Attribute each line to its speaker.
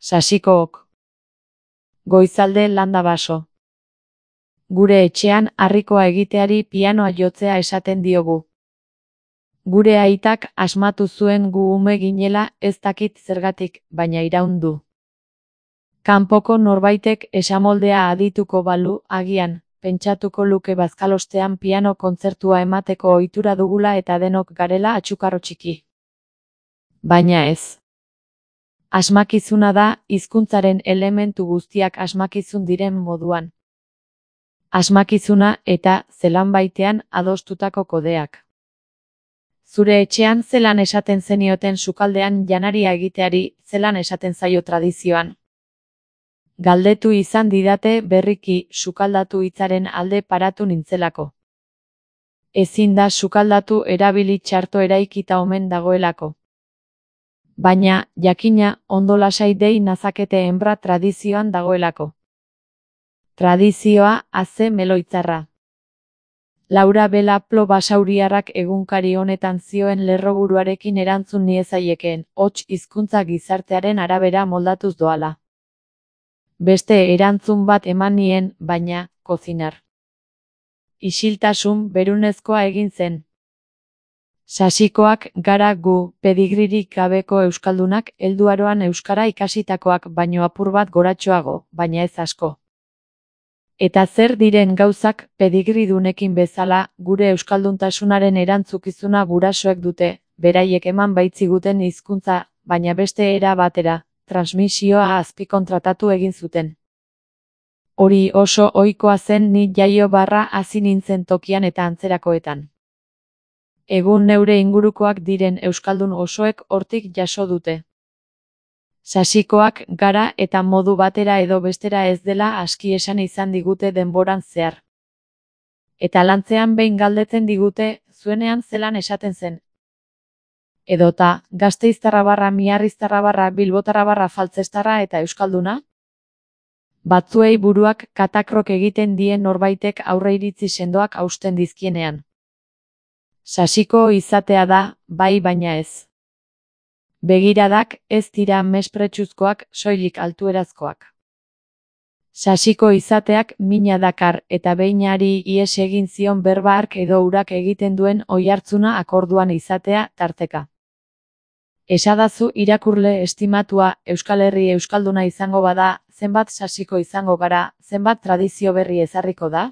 Speaker 1: Sasikook. Goizalde landa baso. Gure etxean harrikoa egiteari pianoa jotzea esaten diogu. Gure aitak asmatu zuen gu ume ginela ez dakit zergatik, baina iraun du. Kanpoko norbaitek esamoldea adituko balu, agian, pentsatuko luke bazkalostean piano kontzertua emateko ohitura dugula eta denok garela atxukarro txiki. Baina ez. Asmakizuna da, hizkuntzaren elementu guztiak asmakizun diren moduan. Asmakizuna eta, zelan baitean, adostutako kodeak. Zure etxean zelan esaten zenioten sukaldean janaria egiteari, zelan esaten zaio tradizioan. Galdetu izan didate berriki sukaldatu hitzaren alde paratu nintzelako. Ezin da sukaldatu erabili txarto eraikita omen dagoelako. Baina, jakina, ondo lasai dei nazakete enbra tradizioan dagoelako. Tradizioa, aze meloitzarra. Laura Belaplo basauriarrak egunkari honetan zioen lerroburuarekin erantzun niezaiekeen, hots hizkuntza gizartearen arabera moldatuz doala. Beste erantzun bat eman nien, baina, kozinar. Isiltasun berunezkoa egin zen. Sasikoak gara gu, pedigririk gabeko euskaldunak, helduaroan euskara ikasitakoak baino apur bat goratxoago, baina ez asko. Eta zer diren gauzak pedigridunekin bezala, gure euskalduntasunaren erantzukizuna gurasoek dute, beraiek eman baitziguten hizkuntza, baina beste era batera, transmisioa azpikontratatu egin zuten. Hori oso ohikoa zen ni jaio barra hasi nintzen tokian eta antzerakoetan. Egun neure ingurukoak diren euskaldun osoek hortik jaso dute. Sasikoak gara eta modu batera edo bestera ez dela aski esan izan digute denboran zehar. Eta lantzean behin galdetzen digute, zuenean zelan esaten zen. Edota, gasteiztarra barra miarriztarra barra bilbotarra barra faltzestarra eta euskalduna? Batzuei buruak katakrok egiten dien norbaitek aurreiritzi sendoak hausten dizkienean. Sasiko izatea da, bai baina ez. Begiradak ez dira mespretsuzkoak, soilik altuerazkoak. Sasiko izateak mina dakar eta beinari ihes egin zion berba hark edo urak egiten duen oihartzuna akorduan izatea tarteka. Esadazu irakurle estimatua Euskal Herri euskalduna izango bada, zenbat sasiko izango gara, zenbat tradizio berri ezarriko da?